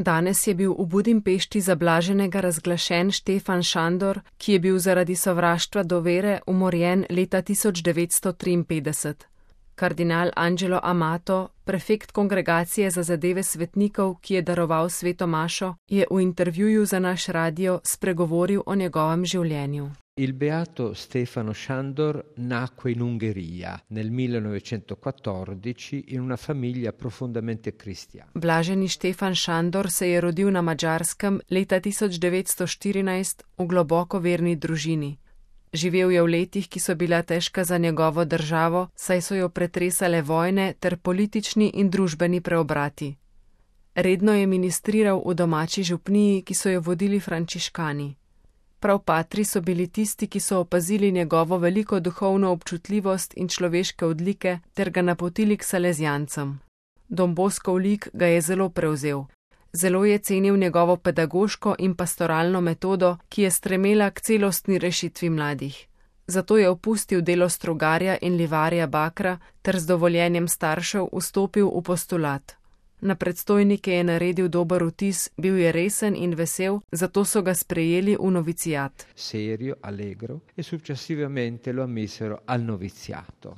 Danes je bil v Budimpešti za blaženega razglašen Štefan Šandor, ki je bil zaradi sovraštva do vere umorjen leta 1953. Kardinal Angelo Amato, prefekt Kongregacije za zadeve svetnikov, ki je daroval sveto mašo, je v intervjuju za naš radio spregovoril o njegovem življenju. Il beato Stefano Šandor nacque in Ungheria nel 1914 in una famiglia profondamente cristiana. Blaženi Štefan Šandor se je rodil na Madžarskem leta 1914 v globoko verni družini. Živel je v letih, ki so bila težka za njegovo državo, saj so jo pretresale vojne ter politični in družbeni preobrati. Redno je ministriral v domači župniji, ki so jo vodili frančiškani. Prav patri so bili tisti, ki so opazili njegovo veliko duhovno občutljivost in človeške odlike ter ga napotili k salezijancem. Don Boskov lik ga je zelo prevzel. Zelo je cenil njegovo pedagoško in pastoralno metodo, ki je stremela k celostni rešitvi mladih. Zato je opustil delo strugarja in livarja bakra ter z dovoljenjem staršev vstopil v postulat. Na predstojnike je naredil dober vtis, bil je resen in vesel, zato so ga sprejeli v novicijat. Serio, allegro e successivamente lo ammisero al noviziato.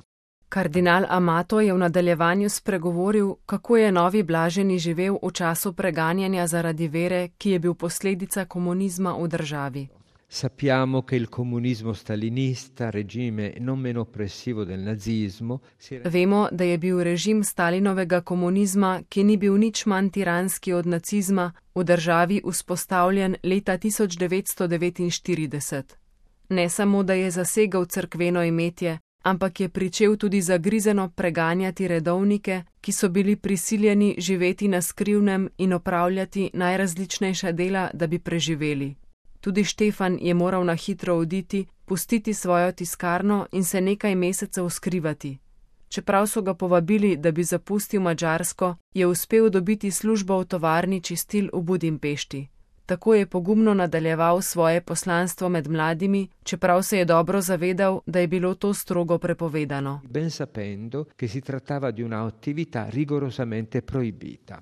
Kardinal Amato je v nadaljevanju spregovoril, kako je novi blaženi živel v času preganjanja zaradi vere, ki je bil posledica komunizma v državi. Sappiamo che il comunismo stalinista, regime non meno oppressivo del nazismo, Vemo, da je bil režim Stalinovega komunizma, ki ni bil nič manj tiranski od nacizma, v državi vzpostavljen leta 1949. Ne samo, da je zasegal cerkveno imetje, ampak je pričel tudi zagrizeno preganjati redovnike, ki so bili prisiljeni živeti na skrivnem in opravljati najrazličnejša dela, da bi preživeli. Tudi Štefan je moral na hitro oditi, pustiti svojo tiskarno in se nekaj mesecev skrivati. Čeprav so ga povabili, da bi zapustil Madžarsko, je uspel dobiti službo v tovarni čistil v Budimpešti. Tako je pogumno nadaljeval svoje poslanstvo med mladimi, čeprav se je dobro zavedal, da je bilo to strogo prepovedano. Ben sapendo che si trattava di una attività rigorosamente proibita.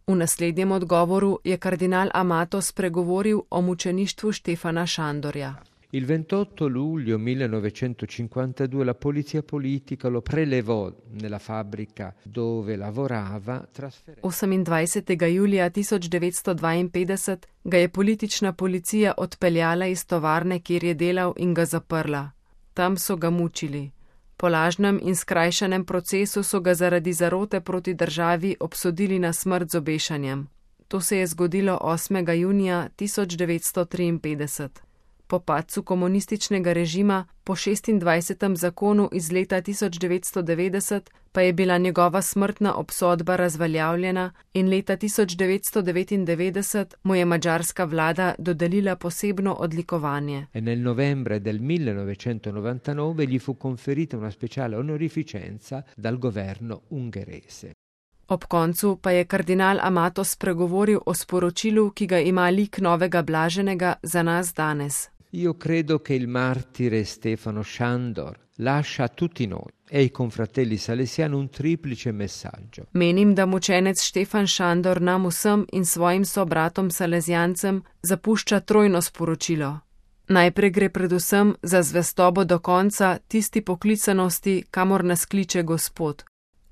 V naslednjem odgovoru je kardinal Amato spregovoril o mučeništvu Štefana Šandorja. Il 28 luglio 1952 la polizia politica lo prelevò nella fabbrica dove lavorava. 28. julija 1952 ga je politična policija odpeljala iz tovarne, kjer je delal, in ga zaprla. Tam so ga mučili. Po lažnem in skrajšanem procesu so ga zaradi zarote proti državi obsodili na smrt z obešanjem. To se je zgodilo 8. junija 1953. Po padcu komunističnega režima, po 26. zakonu iz leta 1990, pa je bila njegova smrtna obsodba razveljavljena in leta 1999 mu je madžarska vlada dodelila posebno odlikovanje. E nel novembre del 1999 gli fu conferita una speciale onorificenza dal governo ungherese. Ob koncu pa je kardinal Amato spregovoril o sporočilu, ki ga ima lik novega blaženega za nas danes. Io credo che il martire Stefano Šandor lascia a tutti noi e ai confratelli salesiani un triplice messaggio. Menim, da mučenec Štefan Šandor nam vsem in svojim sobratom salezijancem zapušča trojno sporočilo. Najprej gre predvsem za zvestobo do konca tisti poklicanosti, kamor nas kliče Gospod.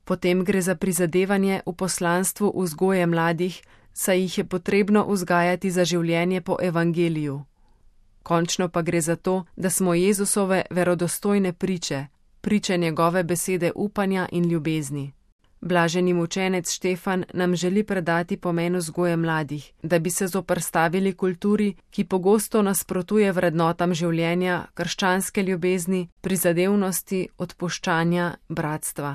Potem gre za prizadevanje v poslanstvu vzgoje mladih, saj jih je potrebno vzgajati za življenje po evangeliju. Končno pa gre za to, da smo Jezusove verodostojne priče, priče njegove besede upanja in ljubezni. Blaženi mučenec Štefan nam želi predati pomen vzgoje mladih, da bi se zoperstavili kulturi, ki pogosto nasprotuje vrednotam življenja, krščanske ljubezni, prizadevnosti, odpuščanja, bratstva.